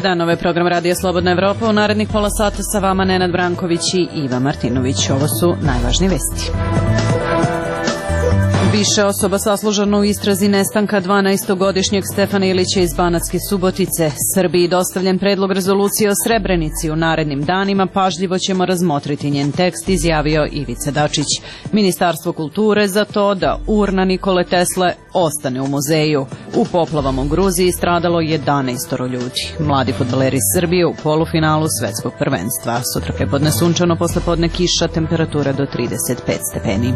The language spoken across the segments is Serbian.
dan, ovo je program Radija Slobodna Evropa. U narednih pola sata sa vama Nenad Branković i Iva Martinović. Ovo su najvažnije vesti. Više osoba saslužano u istrazi nestanka 12-godišnjeg Stefana Ilića iz Banatske Subotice. Srbiji dostavljen predlog rezolucije o Srebrenici. U narednim danima pažljivo ćemo razmotriti njen tekst, izjavio Ivica Dačić. Ministarstvo kulture za to da urna Nikole Tesle ostane u muzeju. U poplavama u Gruziji stradalo 11 ljudi. Mladi fudbaleri Srbije u polufinalu svetskog prvenstva. Sutra prepodne sunčano, poslepodne kiša, temperatura do 35 stepeni.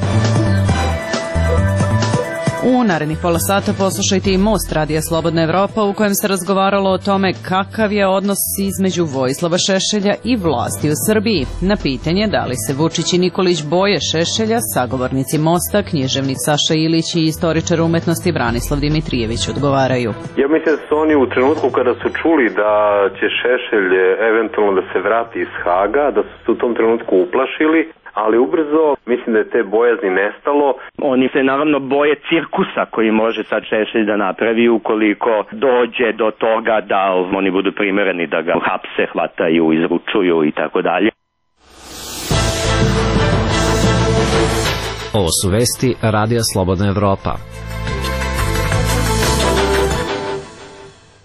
U narednih pola sata poslušajte i Most Radija Slobodna Evropa, u kojem se razgovaralo o tome kakav je odnos između Vojislava Šešelja i vlasti u Srbiji. Na pitanje da li se Vučić i Nikolić boje Šešelja, sagovornici Mosta, književnik Saša Ilić i istoričar umetnosti Branislav Dimitrijević odgovaraju. Ja mislim da su oni u trenutku kada su čuli da će Šešelj eventualno da se vrati iz Haga, da su se u tom trenutku uplašili, ali ubrzo mislim da je te bojazni nestalo. Oni se naravno boje cirkusa koji može sad Šešelj da napravi ukoliko dođe do toga da oni budu primereni da ga hapse, hvataju, izručuju i tako dalje. Ovo su vesti Radija Slobodna Evropa.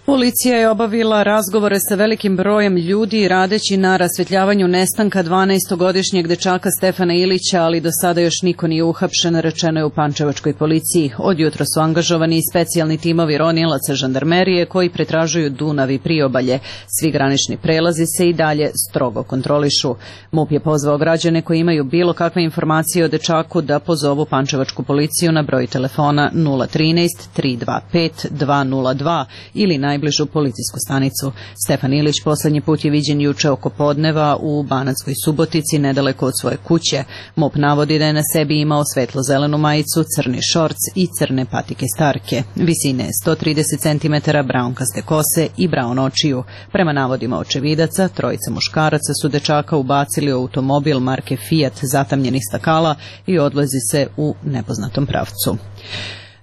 Policija je obavila razgovore sa velikim brojem ljudi radeći na rasvetljavanju nestanka 12-godišnjeg dečaka Stefana Ilića, ali do sada još niko nije uhapšen, rečeno je u pančevačkoj policiji. Od jutra su angažovani i specijalni timovi ronilaca žandarmerije koji pretražuju Dunav i priobalje. Svi granični prelazi se i dalje strogo kontrolišu. MUP je pozvao građane koji imaju bilo kakve informacije o dečaku da pozovu pančevačku policiju na broj telefona 013 325 202 ili najbližu policijsku stanicu. Stefan Ilić poslednji put je viđen juče oko podneva u Banatskoj Subotici, nedaleko od svoje kuće. MUP navodi da je na sebi imao svetlo-zelenu majicu, crni šorc i crne patike starke. Visine 130 cm, braunkaste kose i braun očiju. Prema navodima očevidaca, trojica muškaraca su dečaka ubacili u automobil marke Fiat zatamnjenih stakala i odvozi se u nepoznatom pravcu.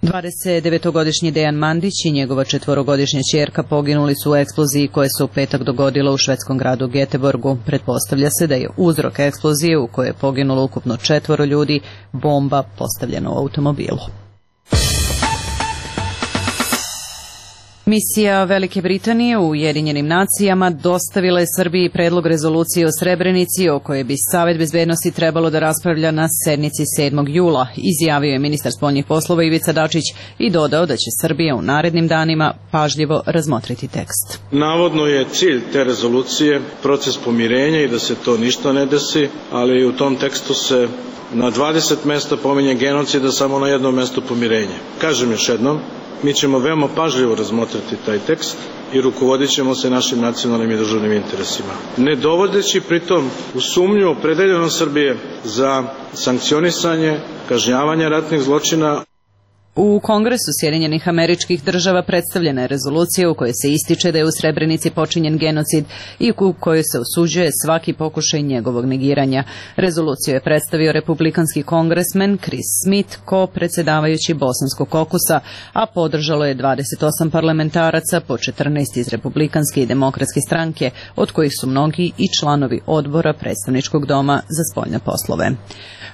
29-godišnji Dejan Mandić i njegova 4-godišnja ćerka poginuli su u eksploziji koja se u petak dogodila u švedskom gradu Göteborgu. Pretpostavlja se da je uzrok eksplozije, u kojoj je poginulo ukupno 4 ljudi, bomba postavljena u automobilu. Misija Velike Britanije u Ujedinjenim nacijama dostavila je Srbiji predlog rezolucije o Srebrenici o kojoj bi Savet bezbednosti trebalo da raspravlja na sednici 7. jula, izjavio je ministar spoljnih poslova Ivica Dačić i dodao da će Srbija u narednim danima pažljivo razmotriti tekst. Navodno je cilj te rezolucije proces pomirenja i da se to ništa ne desi, ali u tom tekstu se na 20 mesta pominje genocid, a samo na jednom mestu pomirenje. Kažem još jednom, mi ćemo veoma pažljivo razmotriti taj tekst i rukovodit ćemo se našim nacionalnim i državnim interesima. Ne dovodeći pritom u sumnju opredeljenost Srbije za sankcionisanje, kažnjavanje ratnih zločina. U Kongresu Sjedinjenih Američkih Država predstavljena je rezolucija u kojoj se ističe da je u Srebrenici počinjen genocid i u kojoj se osuđuje svaki pokušaj njegovog negiranja. Rezoluciju je predstavio republikanski kongresmen Chris Smith, ko-predsedavajući Bosanskog kokusa, a podržalo je 28 parlamentaraca, po 14 iz Republikanske i Demokratske stranke, od kojih su mnogi i članovi odbora Predstavničkog doma za spoljne poslove.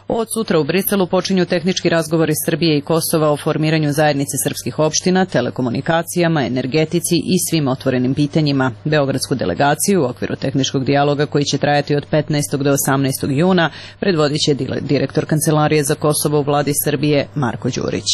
Od sutra u Briselu počinju tehnički razgovori Srbije i Kosova o formiranju zajednice srpskih opština, telekomunikacijama, energetici i svim otvorenim pitanjima. Beogradsku delegaciju u okviru tehničkog dijaloga koji će trajati od 15. do 18. juna predvodit će direktor Kancelarije za Kosovo u vladi Srbije Marko Đurić.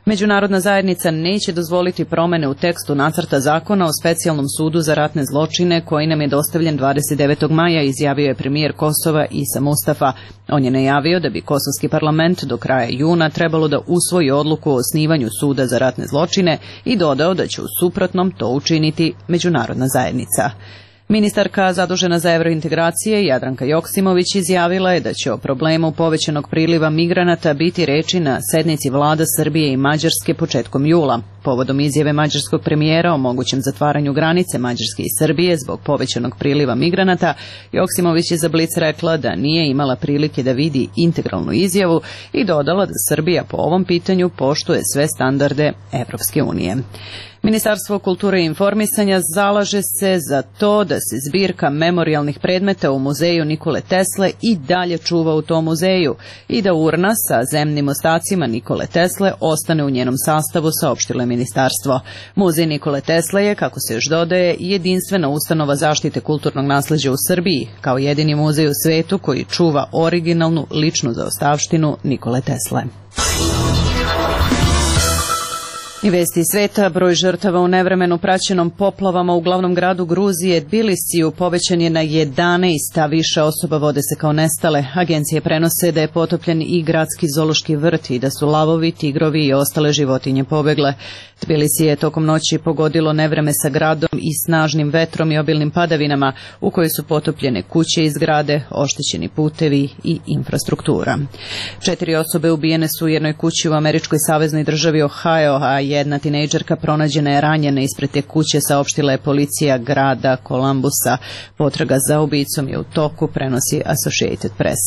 Međunarodna zajednica neće dozvoliti promene u tekstu nacrta zakona o specijalnom sudu za ratne zločine koji nam je dostavljen 29. maja, izjavio je premijer Kosova Isa Mustafa. On je najavio da bi kosovski parlament do kraja juna trebalo da usvoji odluku o osnivanju suda za ratne zločine i dodao da će u suprotnom to učiniti međunarodna zajednica. Ministarka zadužena za evrointegracije Jadranka Joksimović izjavila je da će o problemu povećanog priliva migranata biti reči na sednici vlada Srbije i Mađarske početkom jula. Povodom izjave mađarskog premijera o mogućem zatvaranju granice Mađarske i Srbije zbog povećanog priliva migranata, Joksimović je za Blic rekla da nije imala prilike da vidi integralnu izjavu i dodala da Srbija po ovom pitanju poštuje sve standarde Evropske unije. Ministarstvo kulture i informisanja zalaže se za to da se zbirka memorijalnih predmeta u muzeju Nikole Tesle i dalje čuva u tom muzeju i da urna sa zemnim ostacima Nikole Tesle ostane u njenom sastavu, saopštilo je ministarstvo. Muzej Nikole Tesle je, kako se još dodaje, jedinstvena ustanova zaštite kulturnog nasleđa u Srbiji, kao jedini muzej u svetu koji čuva originalnu ličnu zaostavštinu Nikole Tesle. I vesti iz sveta, broj žrtava u nevremenu praćenom poplavama u glavnom gradu Gruzije Tbilisiju povećan je na 11, a više osoba vode se kao nestale. Agencije prenose da je potopljen i gradski zoološki vrt i da su lavovi, tigrovi i ostale životinje pobegle. Tbilisi je tokom noći pogodilo nevreme sa gradom i snažnim vetrom i obilnim padavinama u kojoj su potopljene kuće i zgrade, oštećeni putevi i infrastruktura. 4 osobe ubijene su u jednoj kući u američkoj saveznoj državi Ohio, a jedna tinejdžerka pronađena je ranjena ispred te kuće, saopštila je policija grada Columbusa. Potraga za ubicom je u toku, prenosi Associated Press.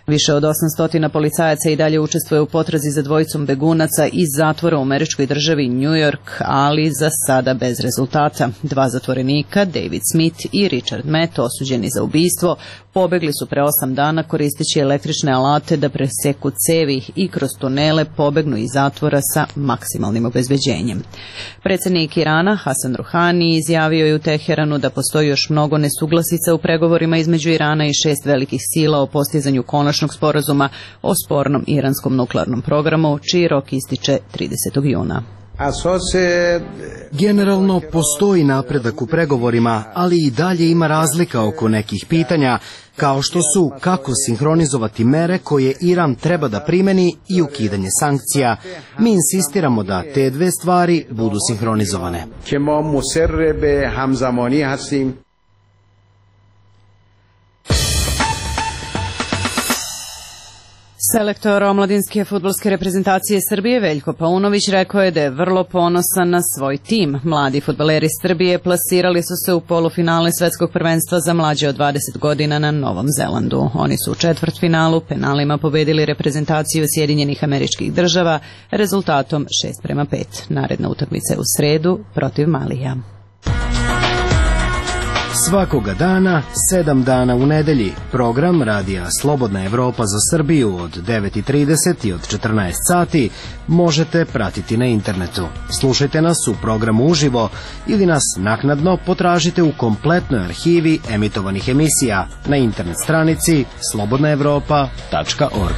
Više od 800 policajaca i dalje učestvuje u potrazi za dvojicom begunaca iz zatvora u američkoj državi New York, ali za sada bez rezultata. 2 zatvorenika, David Smith i Richard Matt, osuđeni za ubistvo, pobegli su pre 8 dana koristeći električne alate da preseku cevi i kroz tunele pobegnu iz zatvora sa maksimalnim obezbeđenjem. Predsjednik Irana Hasan Ruhani izjavio je u Teheranu da postoji još mnogo nesuglasica u pregovorima između Irana i 6 velikih sila o postizanju konačnog sporazuma o spornom iranskom nuklearnom programu, čiji rok ističe 30. juna. Generalno postoji napredak u pregovorima, ali i dalje ima razlika oko nekih pitanja, kao što su kako sinhronizovati mere koje Iran treba da primeni i ukidanje sankcija. Mi insistiramo da te dve stvari budu sinhronizovane. Selektor omladinske fudbalske reprezentacije Srbije Veljko Paunović rekao je da je vrlo ponosan na svoj tim. Mladi fudbaleri Srbije plasirali su se u polufinale svetskog prvenstva za mlađe od 20 godina na Novom Zelandu. Oni su u četvrtfinalu penalima pobedili reprezentaciju Sjedinjenih Američkih Država rezultatom 6:5. Naredna utakmica je u sredu protiv Malija. Svakoga dana, 7 dana u nedelji, program Radija Slobodna Evropa za Srbiju od 9:30 i od 14 sati možete pratiti na internetu. Slušajte nas u programu uživo ili nas naknadno potražite u kompletnoj arhivi emitovanih emisija na internet stranici slobodnaevropa.org.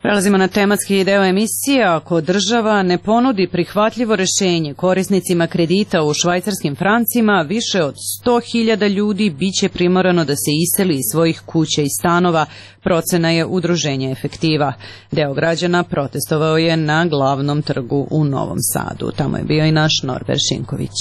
Prelazimo na tematski deo emisije. Ako država ne ponudi prihvatljivo rešenje korisnicima kredita u švajcarskim francima, više od 100.000 ljudi biće primorano da se iseli iz svojih kuća i stanova, procena je udruženja Efektiva. Deo građana protestovao je na glavnom trgu u Novom Sadu. Tamo je bio i naš Norbert Šinković.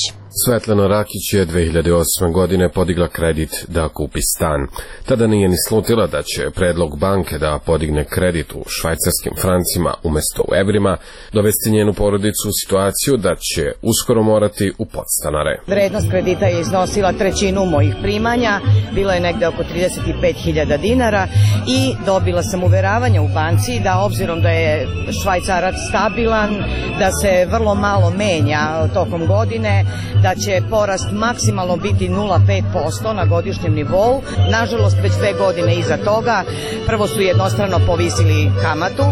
Svetlana Rakić je 2008. godine podigla kredit da kupi stan. Tada nije ni slutila da će predlog banke da podigne kredit u švajcarskim francima umesto u evrima dovesti njenu porodicu u situaciju da će uskoro morati u podstanare. Vrednost kredita je iznosila trećinu mojih primanja, bilo je negde oko 35.000 dinara i dobila sam uveravanje u banci da obzirom da je švajcarac stabilan, da se vrlo malo menja tokom godine, da će porast maksimalno biti 0,5% na godišnjem nivou. Nažalost, već 2 godine iza toga, prvo su jednostrano povisili kamatu,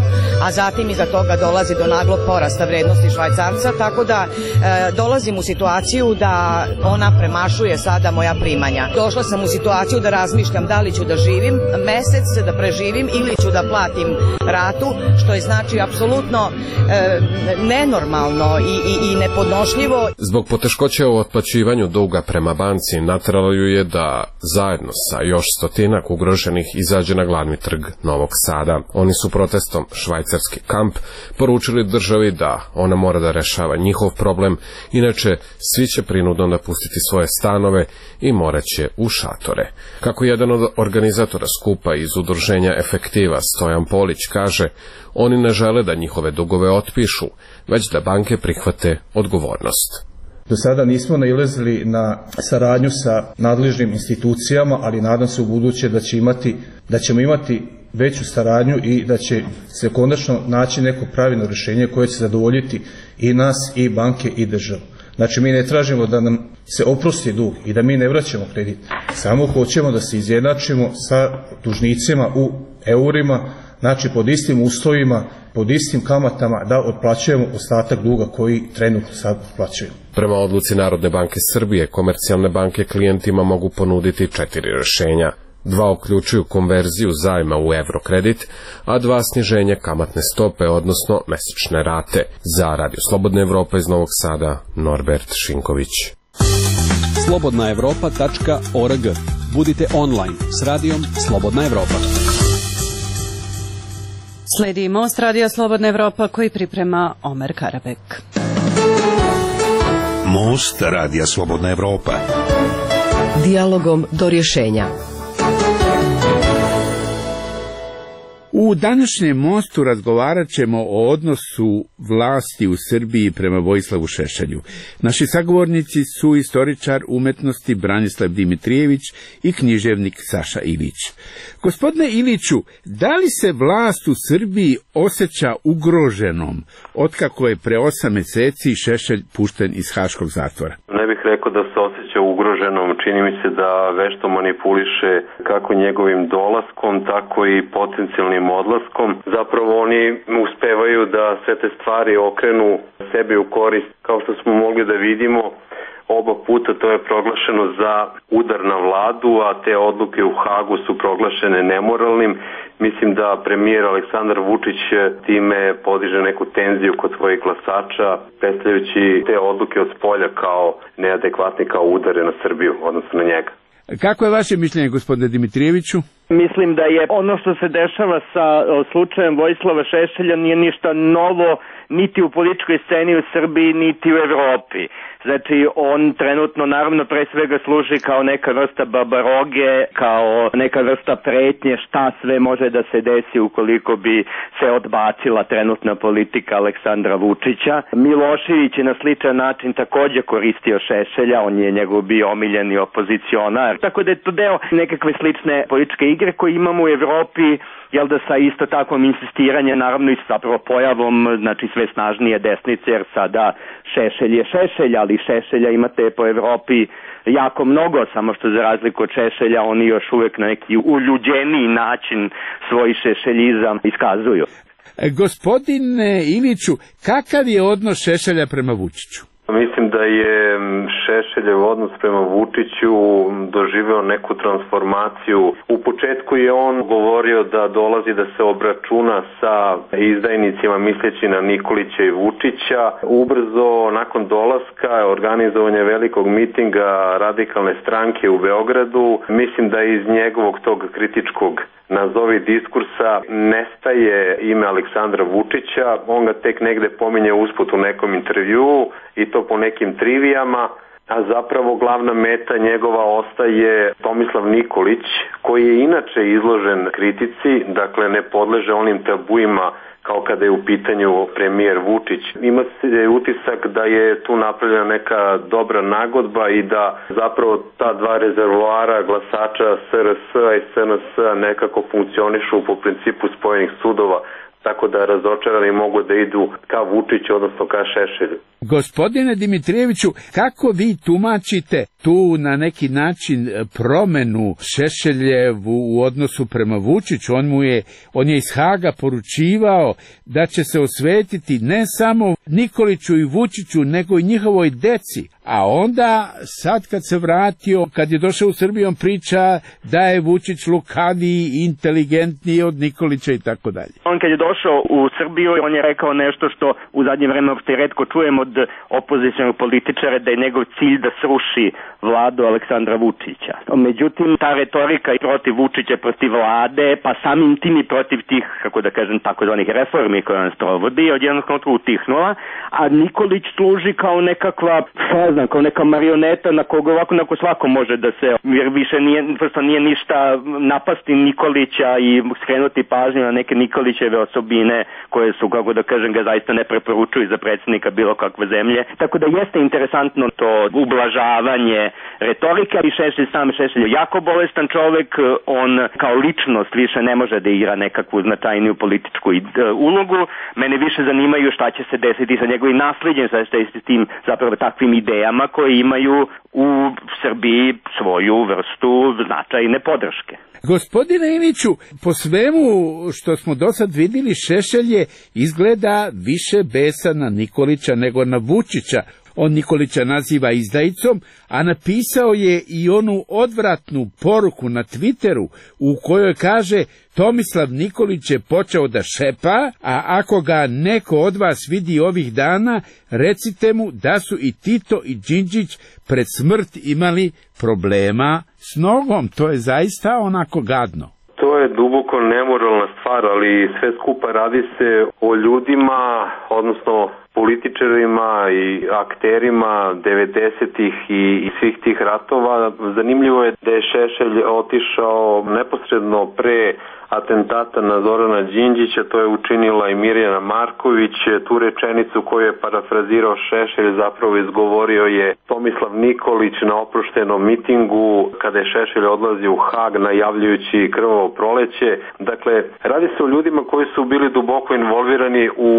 a zatim iza toga dolazi do naglog porasta vrednosti švajcarca, tako da dolazim u situaciju da ona premašuje sada moja primanja. Došla sam u situaciju da razmišljam da li ću da živim mesec, da preživim ili ću da platim ratu, što je znači apsolutno nenormalno i nepodnošljivo. Zbog poteškoća u otplaćivanju duga prema banci nateralo ju je da zajedno sa još stotinak ugroženih izađe na glavni trg Novog Sada. Oni su protestom Švajcarski kamp poručili državi da ona mora da rešava njihov problem, inače svi će prinudno napustiti svoje stanove i morat će u šatore. Kako jedan od organizatora skupa iz udruženja Efektiva Stojan Polić kaže, oni ne žele da njihove dugove otpišu, već da banke prihvate odgovornost. Do sada nismo nailazili na saradnju sa nadležnim institucijama, ali nadam se u buduće da ćemo imati veću saradnju i da će se konačno naći neko pravilno rješenje koje će zadovoljiti i nas, i banke, i državu. Znači, mi ne tražimo da nam se oprosti dug i da mi ne vraćamo kredit. Samo hoćemo da se izjednačimo sa dužnicima u eurima, znači pod istim uslovima, pod istim kamatama, da otplaćujemo ostatak duga koji trenutno sad otplaćujemo. Prema odluci Narodne banke Srbije, komercijalne banke klijentima mogu ponuditi 4 rješenja. 2 uključuju konverziju zajma u evrokredit, a 2 sniženje kamatne stope, odnosno mesečne rate. Za Radio Slobodna Evropa iz Novog Sada, Norbert Šinković. slobodnaevropa.org. Budite online s radijom Slobodna Evropa. Sledi Most Radija Slobodna Evropa koji priprema Omer Karabek. Most Radija Slobodna Evropa. Dijalogom do rješenja. U današnjem mostu razgovarat ćemo o odnosu vlasti u Srbiji prema Vojislavu Šešelju. Naši sagovornici su istoričar umetnosti Branislav Dimitrijević i književnik Saša Ilić. Gospodine Iliću, da li se vlast u Srbiji osjeća ugroženom otkako je pre 8 mjeseci Šešelj pušten iz haškog zatvora? Ne bih rekao da se osjeća ugroženom, čini mi se da vešto manipuliše kako njegovim dolaskom, tako i potencijalnim odlaskom. Zapravo oni uspevaju da sve te stvari okrenu sebi u korist, kao što smo mogli da vidimo. Oba puta to je proglašeno za udar na vladu, a te odluke u Hagu su proglašene nemoralnim. Mislim da premijer Aleksandar Vučić time podiže neku tenziju kod svojih glasača, predstavljajući te odluke od spolja kao neadekvatne, kao udare na Srbiju, odnosno na njega. Kako je vaše mišljenje, gospodine Dimitrijeviću? Mislim da je ono što se dešava sa slučajem Vojislava Šešelja nije ništa novo niti u političkoj sceni u Srbiji, niti u Evropi. Znači, on trenutno naravno pre svega služi kao neka vrsta babaroge, kao neka vrsta pretnje šta sve može da se desi ukoliko bi se odbacila trenutna politika Aleksandra Vučića. Milošević je na sličan način također koristio Šešelja, on je njegov bio omiljeni opozicionar. Tako da je to deo nekakve slične političke igre koje imamo u Evropi, jel da sa isto takvom insistiranje, naravno i zapravo pojavom, znači sve snažnije desnice, jer sada Šešelj je Šešelj, ali Šešelja imate po Evropi jako mnogo, samo što za razliku od Šešelja oni još uvijek na neki uljuđeniji način svoj šešeljizam iskazuju. Gospodine Iliću, kakav je odnos Šešelja prema Vučiću? Mislim da je Šešeljev odnos prema Vučiću doživeo neku transformaciju. U početku je on govorio da dolazi da se obračuna sa izdajnicima misleći na Nikolića i Vučića. Ubrzo nakon dolaska organizovanja velikog mitinga radikalne stranke u Beogradu, mislim da iz njegovog tog kritičkog nazovi diskursa nestaje ime Aleksandra Vučića, on ga tek negde pominje usput u nekom intervjuu i to po nekim trivijama, a zapravo glavna meta njegova ostaje Tomislav Nikolić, koji je inače izložen kritici, dakle ne podleže onim tabuima kao kada je u pitanju premijer Vučić. Ima se utisak da je tu napravljena neka dobra nagodba i da zapravo ta dva rezervoara glasača SRS-a i SNS-a nekako funkcionišu po principu spojenih sudova, tako da razočarani mogu da idu ka Vučiću, odnosno ka Šešelju. Gospodine Dimitrijeviću, kako vi tumačite tu na neki način promenu Šešeljevu u odnosu prema Vučiću? On je iz Haga poručivao da će se osvetiti ne samo Nikoliću i Vučiću, nego i njihovoj deci. A onda, sad kad se vratio, kad je došao u Srbiju, on priča da je Vučić lukaviji i inteligentniji od Nikolića i tako dalje. On kad je došao u Srbiju, on je rekao nešto što u zadnje vreme uopšte retko čujemo od opozicionog političara, da je njegov cilj da sruši vladu Aleksandra Vučića. Međutim, ta retorika i protiv Vučića, protiv vlade, pa samim tim i protiv tih, kako da kažem, takozvanih reformi koje on sprovodi, od jednog trenutka utihnula, a Nikolić služi kao nekakva, kao neka marioneta na koga ovako neko svako može da se, jer više nije ništa napasti Nikolića i skrenuti pažnju na neke Nikolićeve osobine koje su, kako da kažem, ga zaista ne preporučuju za predsjednika bilo kakve takve zemlje. Tako da jeste interesantno to ublažavanje retorika i Šešelj je jako bolestan čovek, on kao ličnost više ne može da igra nekakvu značajniju političku ulogu. Mene više zanimaju šta će se desiti sa njegovim nasledđem, sa tim zapravo takvim idejama koje imaju u Srbiji svoju vrstu značajne podrške. Gospodine Iliću, po svemu što smo do sad vidjeli, Šešelj je izgleda više besan na Nikolića nego na Vučića. On Nikolića naziva izdajicom, a napisao je i onu odvratnu poruku na Twitteru u kojoj kaže: Tomislav Nikolić je počeo da šepa, a ako ga neko od vas vidi ovih dana, recite mu da su i Tito i Đinđić pred smrt imali problema s nogom. To je zaista onako gadno. To je duboko nemoralna stvar, ali sve skupa radi se o ljudima, odnosno političarima i akterima 90-ih i svih tih ratova. Zanimljivo je da je Šešelj otišao neposredno pre atentata na Zorana Đinđića, to je učinila i Mirjana Marković. Tu rečenicu koju je parafrazirao Šešelj zapravo izgovorio je Tomislav Nikolić na oproštenom mitingu kada je Šešelj odlazio u Hag najavljujući krvavo proleće. Dakle, radi se o ljudima koji su bili duboko involvirani u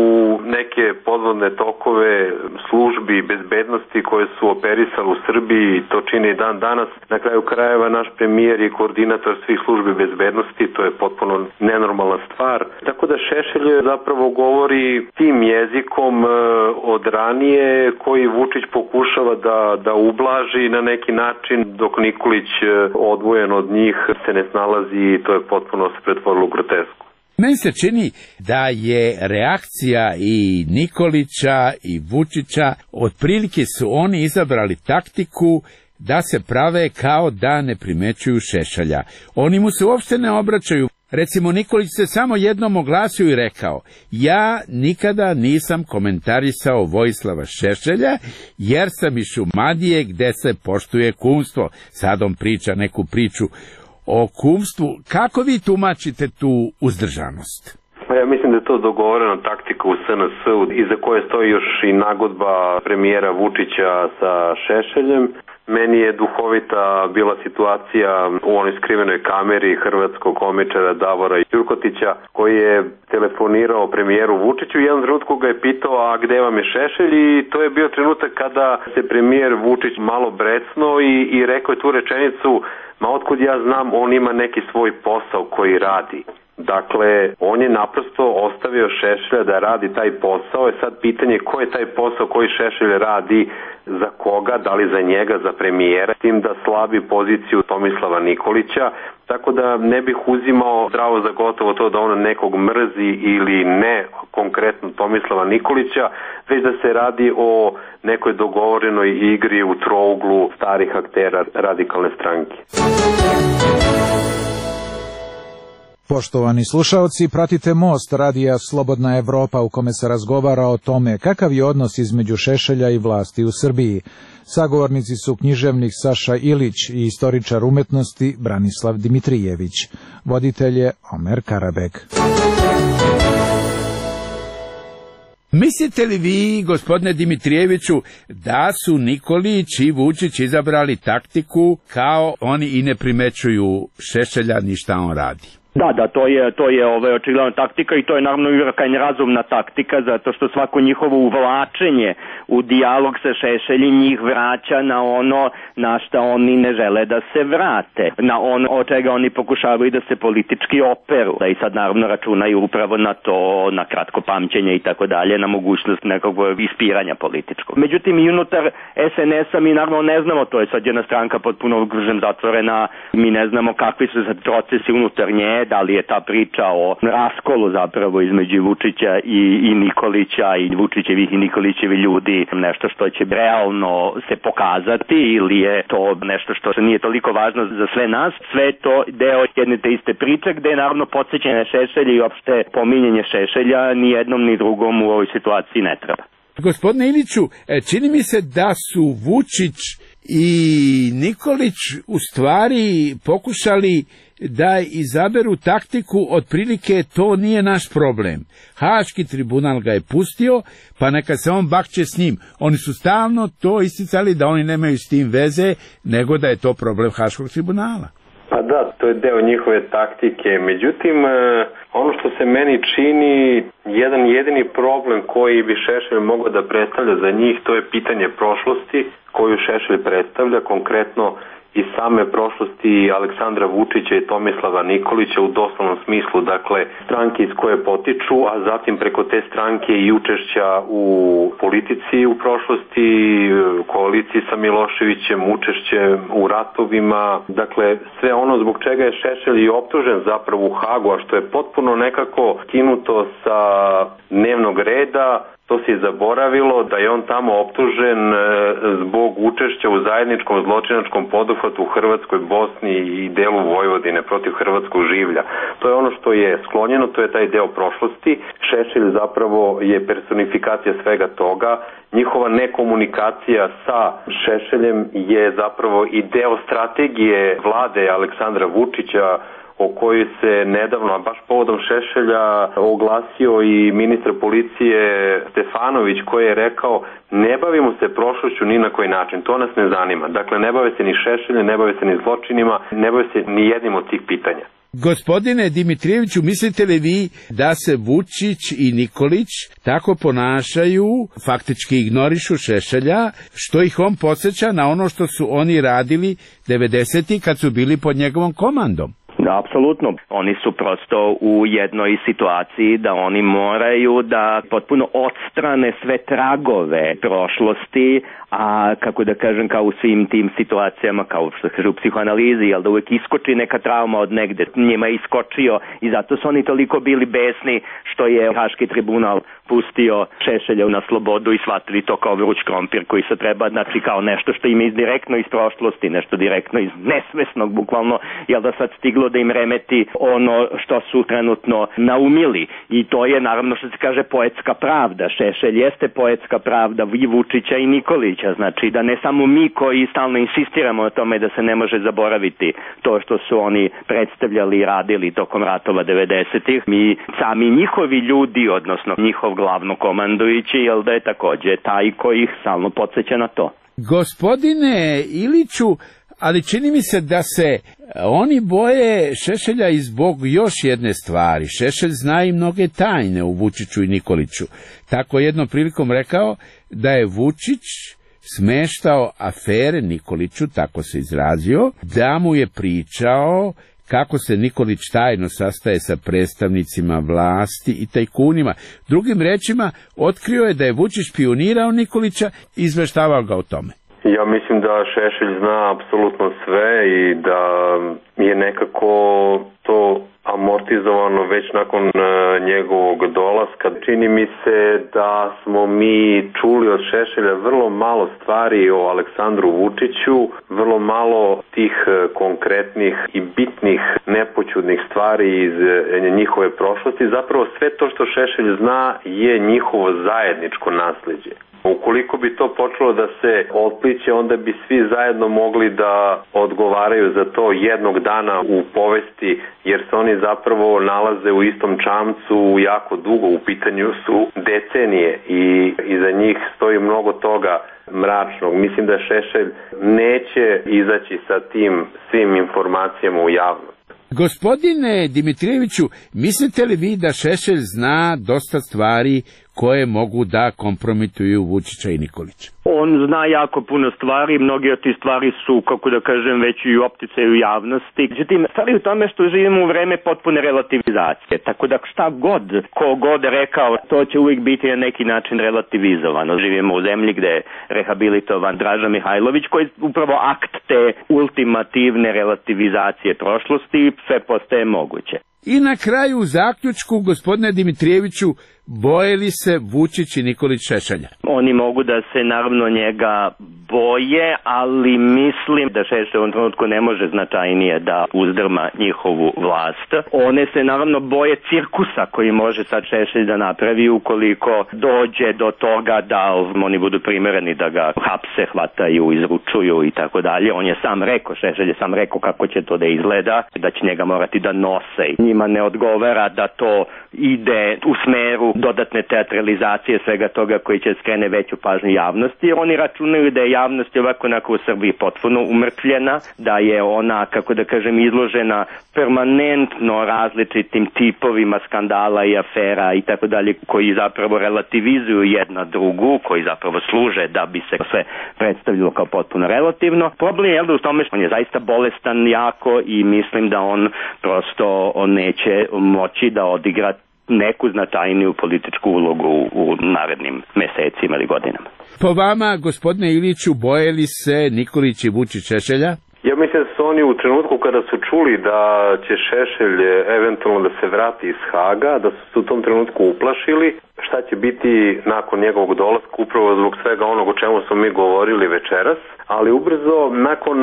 neke podvodne tokove službi bezbednosti koje su operisali u Srbiji, to čini dan danas. Na kraju krajeva naš premijer i koordinator svih službi bezbednosti, to je potpuno nenormalna stvar. Tako da Šešelj zapravo govori tim jezikom od ranije koji Vučić pokušava da ublaži na neki način, dok Nikolić odvojen od njih se ne snalazi i to je potpuno se pretvorilo u grotesku. Meni se čini da je reakcija i Nikolića i Vučića, otprilike su oni izabrali taktiku da se prave kao da ne primećuju Šešelja. Oni mu se uopšte ne obraćaju. Recimo, Nikolić se samo jednom oglasio i rekao: ja nikada nisam komentarisao Vojislava Šešelja, jer sam iz Šumadije gde se poštuje kumstvo. Sad on priča neku priču o kumstvu. Kako vi tumačite tu uzdržanost? Ja mislim da je to dogovorena taktika u SNS-u, iza koje stoji još i nagodba premijera Vučića sa Šešeljem. Meni je duhovita bila situacija u onoj skrivenoj kameri hrvatskog komičara Davora Jurkotića, koji je telefonirao premijeru Vučiću i jedan trenutku ga je pitao: a gde vam je Šešelj? I to je bio trenutak kada se premijer Vučić malo brecnuo i rekao je tu rečenicu: ma otkud ja znam, on ima neki svoj posao koji radi. Dakle, on je naprosto ostavio Šešelja da radi taj posao. Je sad pitanje ko je taj posao koji Šešelj radi, za koga, da li za njega, za premijera, tim da slabi poziciju Tomislava Nikolića. Tako da ne bih uzimao zdravo za gotovo to da on nekog mrzi ili ne, konkretno Tomislava Nikolića, već da se radi o nekoj dogovorenoj igri u trouglu starih aktera radikalne stranke. Poštovani slušaoci, pratite Most radija Slobodna Evropa u kome se razgovara o tome kakav je odnos između Šešelja i vlasti u Srbiji. Sagovornici su književnik Saša Ilić i istoričar umetnosti Branislav Dimitrijević. Voditelj je Omer Karabek. Mislite li vi, gospodine Dimitrijeviću, da su Nikolić i Vučić izabrali taktiku kao oni i ne primećuju Šešelja ni šta on radi? Da, to je očigledna taktika i to je naravno i krajnje razumna taktika, zato što svako njihovo uvlačenje u dijalog sa Šešeljem njih vraća na ono na šta oni ne žele da se vrate, na ono od čega oni pokušavaju da se politički operu. Da i sad naravno računaju upravo na to, na kratko pamćenje i tako dalje, na mogućnost nekog ispiranja političkog. Međutim, i unutar SNS-a mi naravno ne znamo, to je sad jedna stranka potpuno zatvorena, mi ne znamo kakvi su sad procesi unutar nje, da li je ta priča o raskolu zapravo između Vučića i Nikolića i Vučićevih i Nikolićevi ljudi nešto što će realno se pokazati ili je to nešto što nije toliko važno za sve nas. Sve je to deo jedne te iste priče gde je naravno podsjećanje Šešelja i opšte pominjanje Šešelja ni jednom ni drugom u ovoj situaciji ne treba. Gospodine Iliću, čini mi se da su Vučić i Nikolić u stvari pokušali da izaberu taktiku, otprilike to nije naš problem. Haški tribunal ga je pustio, pa neka se on bakće s njim. Oni su stalno to isticali da oni nemaju s tim veze, nego da je to problem Haškog tribunala. Pa da, to je deo njihove taktike. Međutim, ono što se meni čini, jedan jedini problem koji bi Šešelj mogao da predstavlja za njih, to je pitanje prošlosti koju Šešelj predstavlja, konkretno i same prošlosti Aleksandra Vučića i Tomislava Nikolića u doslovnom smislu, dakle stranke iz koje potiču, a zatim preko te stranke i učešća u politici u prošlosti, koaliciji sa Miloševićem, učešće u ratovima, dakle sve ono zbog čega je Šešelj i optužen zapravo u Hagu, a što je potpuno nekako skinuto sa dnevnog reda. To se je zaboravilo da je on tamo optužen zbog učešća u zajedničkom zločinačkom poduhvatu u Hrvatskoj, Bosni i delu Vojvodine protiv hrvatskog življa. To je ono što je sklonjeno, to je taj deo prošlosti. Šešelj zapravo je personifikacija svega toga. Njihova nekomunikacija sa Šešeljem je zapravo i deo strategije vlade Aleksandra Vučića, o kojoj se nedavno, a baš povodom Šešelja, oglasio i ministar policije Stefanović, koji je rekao ne bavimo se prošlošću ni na koji način, to nas ne zanima. Dakle, ne bave se ni Šešeljem, ne bave se ni zločinima, ne bave se ni jednim od tih pitanja. Gospodine Dimitrijeviću, mislite li vi da se Vučić i Nikolić tako ponašaju, faktički ignorišu Šešelja, što ih on podsjeća na ono što su oni radili 90-ih kad su bili pod njegovom komandom? Da, apsolutno. Oni su prosto u jednoj situaciji da oni moraju da potpuno odstrane sve tragove prošlosti, a kako da kažem, kao u svim tim situacijama, kao što kaže u psihoanalizi, jel da uvek iskoči neka trauma od negde, njima je iskočio i zato su oni toliko bili besni što je Haški tribunal pustio Šešelja na slobodu i shvatili to kao vruć krompir koji se treba, znači kao nešto što im je direktno iz prošlosti, nešto direktno iz nesvesnog, bukvalno, jel da sad stiglo da im remeti ono što su trenutno naumili. I to je naravno što se kaže poetska pravda. Šešelj jeste poetska pravda i Vučića i Nikolića, znači da ne samo mi koji stalno insistiramo na tome da se ne može zaboraviti to što su oni predstavljali i radili tokom ratova 90-ih, mi sami njihovi ljudi, odnosno njihov glavnokomandujući, jel da je takođe taj koji ih stalno podsjeća na to. Gospodine Iliću, ali čini mi se da se oni boje Šešelja i zbog još jedne stvari. Šešelj zna i mnoge tajne u Vučiću i Nikoliću. Tako jednom prilikom rekao da je Vučić smeštao afere Nikoliću, tako se izrazio, da mu je pričao kako se Nikolić tajno sastaje sa predstavnicima vlasti i tajkunima. Drugim rečima, otkrio je da je Vučić špijunirao Nikolića i izveštavao ga o tome. Ja mislim da Šešelj zna apsolutno sve i da je nekako to amortizovano već nakon njegovog dolaska. Čini mi se da smo mi čuli od Šešelja vrlo malo stvari o Aleksandru Vučiću, vrlo malo tih konkretnih i bitnih nepoćudnih stvari iz njihove prošlosti. Zapravo sve to što Šešelj zna je njihovo zajedničko nasleđe. Ukoliko bi to počelo da se otpliće, onda bi svi zajedno mogli da odgovaraju za to jednog dana u povesti, jer se oni zapravo nalaze u istom čamcu jako dugo, u pitanju su decenije i iza njih stoji mnogo toga mračnog. Mislim da Šešelj neće izaći sa tim svim informacijama u javnost. Gospodine Dimitrijeviću, mislite li vi da Šešelj zna dosta stvari koje mogu da kompromituju Vučića i Nikolića? On zna jako puno stvari, mnogi od tih stvari su, kako da kažem, već i u opticaju javnosti. Međutim, stvari u tome što živimo u vreme potpune relativizacije, tako da šta god, ko god rekao, to će uvijek biti na neki način relativizovano. Živimo u zemlji gde je rehabilitovan Draža Mihajlović, koji je upravo akt te ultimativne relativizacije prošlosti i sve postaje moguće. I na kraju u zaključku, gospodine Dimitrijeviću, boje li se Vučić i Nikolić Šešelja? Oni mogu da se naravno njega boje, ali mislim da Šešelj u ovom trenutku ne može značajnije da uzdrma njihovu vlast. One se naravno boje cirkusa koji može sad Šešelj da napravi ukoliko dođe do toga da oni budu primereni da ga hapse, hvataju, izručuju i tako dalje. On je sam rekao, Šešelj je sam rekao kako će to da izgleda, da će njega morati da nose. Njima ne odgovara da to ide u smeru dodatne teatralizacije svega toga koji će skrene veću pažnju javnosti. Oni računaju da je javnost ovako u Srbiji potpuno umrtvljena, da je ona, kako da kažem, izložena permanentno različitim tipovima skandala i afera i tako dalje, koji zapravo relativizuju jedna drugu, koji zapravo služe da bi se sve predstavljalo kao potpuno relativno. Problem je u tome što on je zaista bolestan jako i mislim da on prosto neće moći da odigra neku značajniju političku ulogu u narednim mesecima ili godinama. Po vama, gospodine Iliću, boje li se Nikolić i Vučić Šešelja? Ja mislim da su oni u trenutku kada su čuli da će Šešelj eventualno da se vrati iz Haga, da su se u tom trenutku uplašili šta će biti nakon njegovog dolaska, upravo zbog svega onog o čemu smo mi govorili večeras, ali ubrzo nakon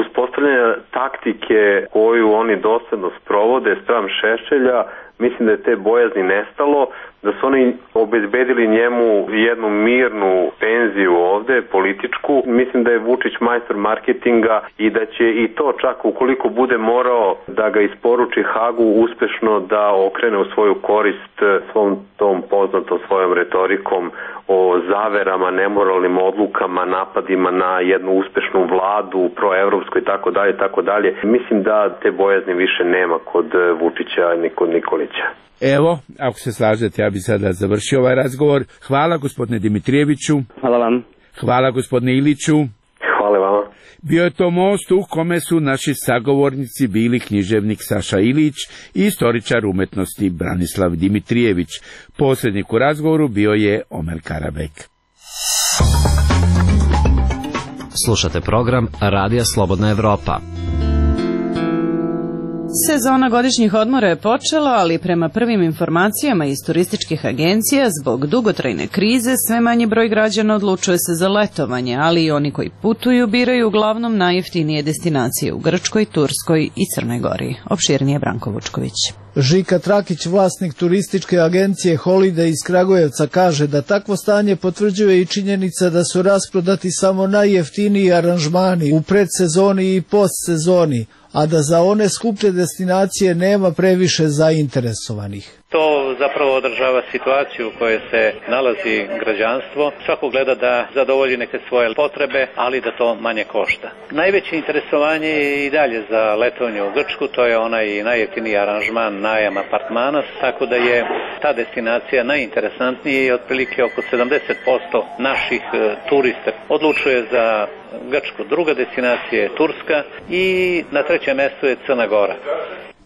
uspostavljanja taktike koju oni dosledno sprovode spram Šešelja, mislim da je te bojazni nestalo, da su oni obezbedili njemu jednu mirnu penziju ovde, političku. Mislim da je Vučić majstor marketinga i da će i to čak ukoliko bude morao da ga isporuči Hagu uspešno da okrene u svoju korist svom tom poznatom svojom retorikom o zaverama, nemoralnim odlukama, napadima na jednu uspešnu vladu, proevropsku i tako dalje. Mislim da te bojazni više nema kod Vučića ni kod Nikolića. Evo, ako se slažete, ja bih sada završio ovaj razgovor. Hvala gospodine Dimitrijeviću. Hvala vam. Hvala gospodine Iliću. Hvala vama. Bio je to most u kome su naši sagovornici bili književnik Saša Ilić i istoričar umetnosti Branislav Dimitrijević. Posrednik u razgovoru bio je Omer Karabek. Slušate program Radija Slobodna Evropa. Sezona godišnjih odmora je počela, ali prema prvim informacijama iz turističkih agencija, zbog dugotrajne krize, sve manji broj građana odlučuje se za letovanje, ali i oni koji putuju biraju uglavnom najjeftinije destinacije u Grčkoj, Turskoj i Crnoj Gori. Opširnije Branko Vučković. Žika Trakić, vlasnik turističke agencije Holiday iz Kragujevca, kaže da takvo stanje potvrđuje i činjenica da su rasprodati samo najjeftiniji aranžmani u predsezoni i postsezoni, a da za one skuplje destinacije nema previše zainteresovanih. To zapravo održava situaciju u kojoj se nalazi građanstvo. Svako gleda da zadovolji neke svoje potrebe, ali da to manje košta. Najveće interesovanje je i dalje za letovanje u Grčku, to je onaj najjeftiniji aranžman, najam apartmana, tako da je ta destinacija najinteresantnija i otprilike oko 70% naših turista odlučuje za Grčku. Druga destinacija je Turska i na trećem mjestu je Crna Gora.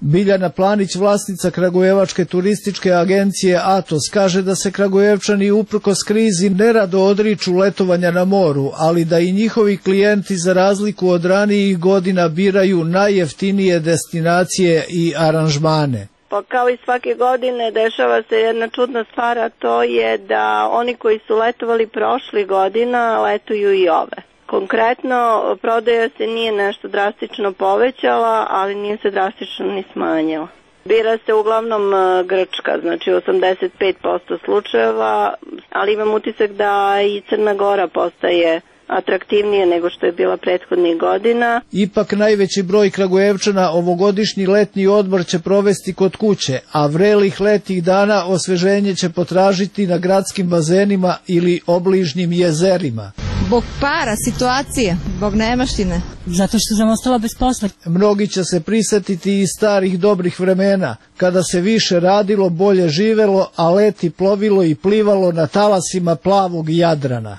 Biljana Planić, vlasnica Kragujevačke turističke agencije Atos, kaže da se Kragujevčani uprkos krizi nerado odriču letovanja na moru, ali da i njihovi klijenti za razliku od ranijih godina biraju najjeftinije destinacije i aranžmane. Pa kao i svake godine dešava se jedna čudna stvar, a to je da oni koji su letovali prošli godina letuju i ove. Konkretno, prodaja se nije nešto drastično povećala, ali nije se drastično ni smanjila. Bira se uglavnom Grčka, znači 85% slučajeva, ali imam utisak da i Crna Gora postaje atraktivnije nego što je bila prethodnih godina. Ipak najveći broj Kragujevčana ovogodišnji letnji odmor će provesti kod kuće, a vrelih letnjih dana osveženje će potražiti na gradskim bazenima ili obližnjim jezerima. Zbog para, situacije, zbog nemaštine. Zato što sam ostala bez posla. Mnogi će se prisetiti i starih dobrih vremena, kada se više radilo, bolje živelo, a leti plovilo i plivalo na talasima plavog Jadrana.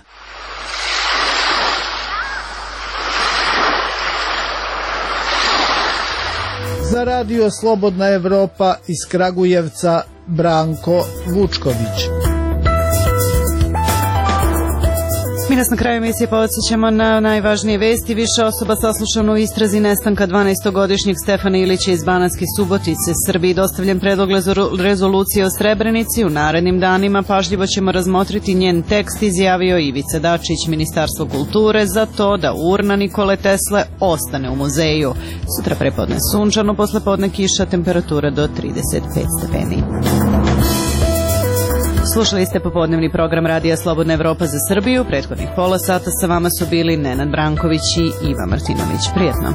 Za Radio Slobodna Evropa iz Kragujevca, Branko Vučković. Mi nas na kraju emisije podsjećamo na najvažnije vesti. Više osoba saslušano u istrazi nestanka 12-godišnjeg Stefana Ilića iz Banatske Subotice. Srbiji dostavljen predlog rezolucije o Srebrenici. U narednim danima pažljivo ćemo razmotriti njen tekst, izjavio Ivica Dačić. Ministarstvo kulture za to da urna Nikole Tesle ostane u muzeju. Sutra prepodne sunčano, poslepodne kiša, temperatura do 35 stepeni. Slušali ste popodnevni program Radija Slobodna Evropa za Srbiju. Prethodnih pola sata sa vama su bili Nenad Branković i Iva Martinović. Prijetno.